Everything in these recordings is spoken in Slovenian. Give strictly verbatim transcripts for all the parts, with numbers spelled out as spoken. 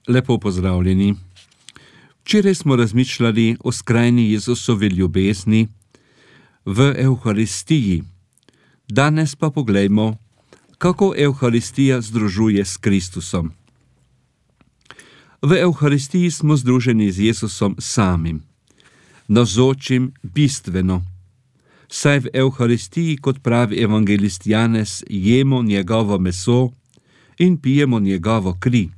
Lepo pozdravljeni. Včeraj smo razmišljali o skrajni Jezusovi ljubezni v Evharistiji. Danes pa poglejmo, kako Evharistija združuje s Kristusom. V Evharistiji smo združeni z Jezusom samim, navzočim bistveno, saj v Evharistiji, kot pravi evangelist Janez, jemo njegovo meso in pijemo njegovo kri.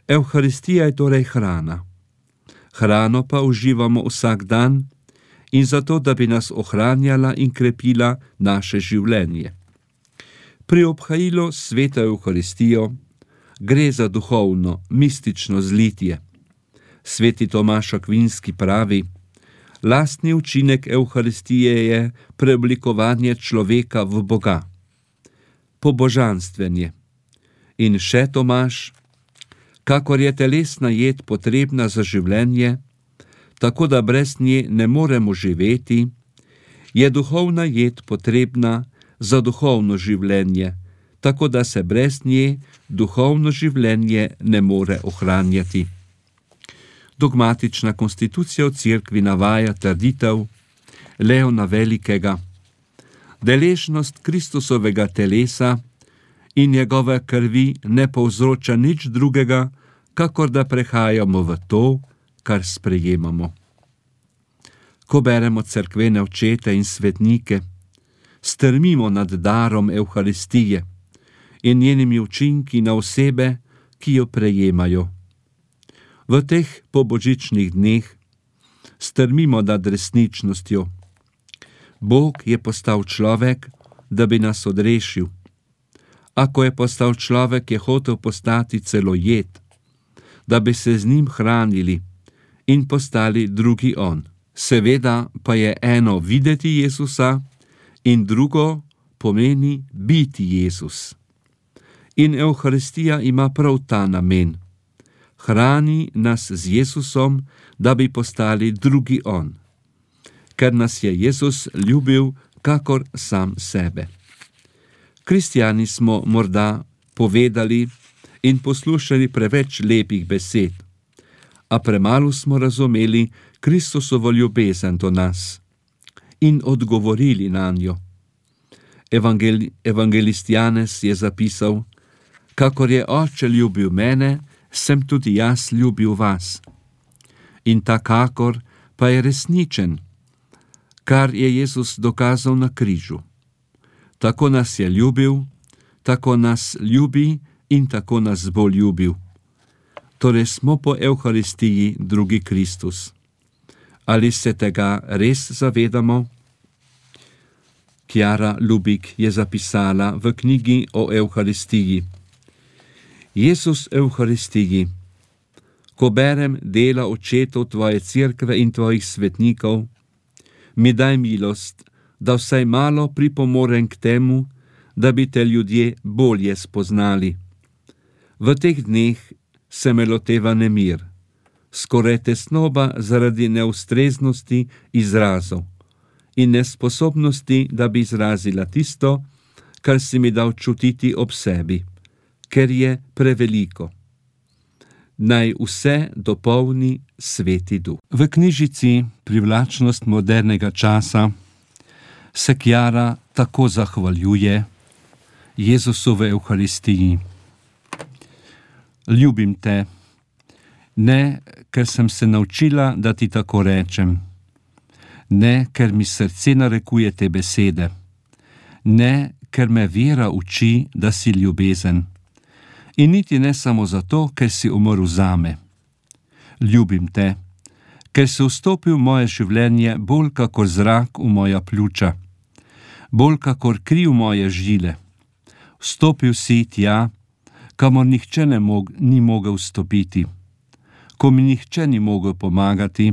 Evharistija je torej hrana. Hrano pa uživamo vsak dan in zato, da bi nas ohranjala in krepila naše življenje. Pri obhajilu sveta Evharistijo gre za duhovno, mistično zlitje. Sveti Tomaž Akvinski pravi: lastni učinek Evharistije je preoblikovanje človeka v Boga, pobožanstvenje. In še Tomaž: kakor je telesna jed potrebna za življenje, tako da brez nje ne moremo živeti, je duhovna jed potrebna za duhovno življenje, tako da se brez nje duhovno življenje ne more ohranjati. Dogmatična konstitucija v cerkvi navaja trditev Leona Velikega: deležnost Kristusovega telesa in njegove krvi ne povzroča nič drugega, kakor da prehajamo v to, kar sprejemamo. Ko beremo cerkvene očete in svetnike, strmimo nad darom Evharistije in njenimi učinki na osebe, ki jo prejemajo. V teh pobožičnih dneh strmimo nad resničnostjo. Bog je postal človek, da bi nas odrešil. Ako je postal človek, je hotel postati celo jed, da bi se z njim hranili in postali drugi on. Seveda pa je eno videti Jezusa in drugo pomeni biti Jezus. In Evharistija ima prav ta namen. Hrani nas z Jezusom, da bi postali drugi on, ker nas je Jezus ljubil kakor sam sebe. Kristjani smo morda povedali in poslušali preveč lepih besed, a premalo smo razumeli Kristusovo ljubezen do nas in odgovorili na njo. Evangel, evangelist Janez je zapisal: kakor je Oče ljubil mene, sem tudi jaz ljubil vas. In ta kakor pa je resničen, kar je Jezus dokazal na križu. Tako nas je ljubil, tako nas ljubi in tako nas bo ljubil. Torej smo po Evharistiji drugi Kristus. Ali se tega res zavedamo? Kjara Lubik je zapisala v knjigi o Evharistiji: Jezus Evharistiji, ko berem dela očetov tvoje cerkve in tvojih svetnikov, mi daj milost, da vsaj malo pripomorem k temu, da bi te ljudje bolje spoznali. V teh dneh se me loteva nemir, skoraj tesnoba zaradi neustreznosti izrazov in nesposobnosti, da bi izrazila tisto, kar si mi dal čutiti ob sebi, ker je preveliko. Naj vse dopolni Sveti Duh. V knjižici Privlačnost modernega časa se Kjara tako zahvaljuje Jezusove Evharistiji: ljubim te, ne ker sem se naučila, da ti tako rečem, ne ker mi srce narekuje te besede, ne ker me vera uči, da si ljubezen, in niti ne samo zato, ker si umrl zame. Ljubim te, ker si vstopil v moje življenje bolj kakor zrak v moja pljuča, bolj kakor kri v moje žile. Vstopil si tja, kamor nihče ne mog, ni mogel vstopiti, ko mi nihče ni mogel pomagati,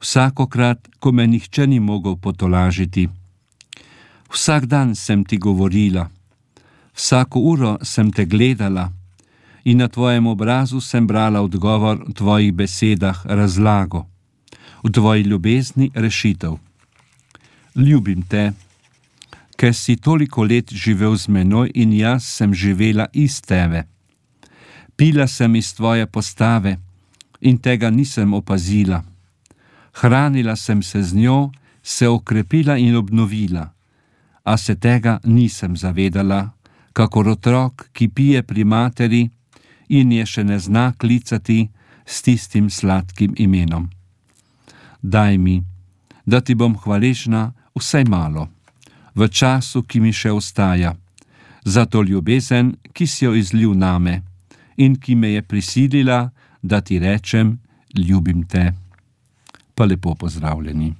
vsakokrat, ko me nihče ni mogel potolažiti. Vsak dan sem ti govorila, vsako uro sem te gledala in na tvojem obrazu sem brala odgovor v tvojih besedah, razlago, v tvoji ljubezni rešitev. Ljubim te, ker si toliko let živel z menoj in jaz sem živela iz tebe. Pila sem iz tvoje postave in tega nisem opazila. Hranila sem se z njo, se okrepila in obnovila, a se tega nisem zavedala, kakor otrok, ki pije pri materi in je še ne zna klicati s tistim sladkim imenom. Daj mi, da ti bom hvaležna vsaj malo, v času, ki mi še ostaja, za to ljubezen, ki si jo izlil name in ki me je prisilila, da ti rečem, ljubim te. Pa lepo pozdravljeni.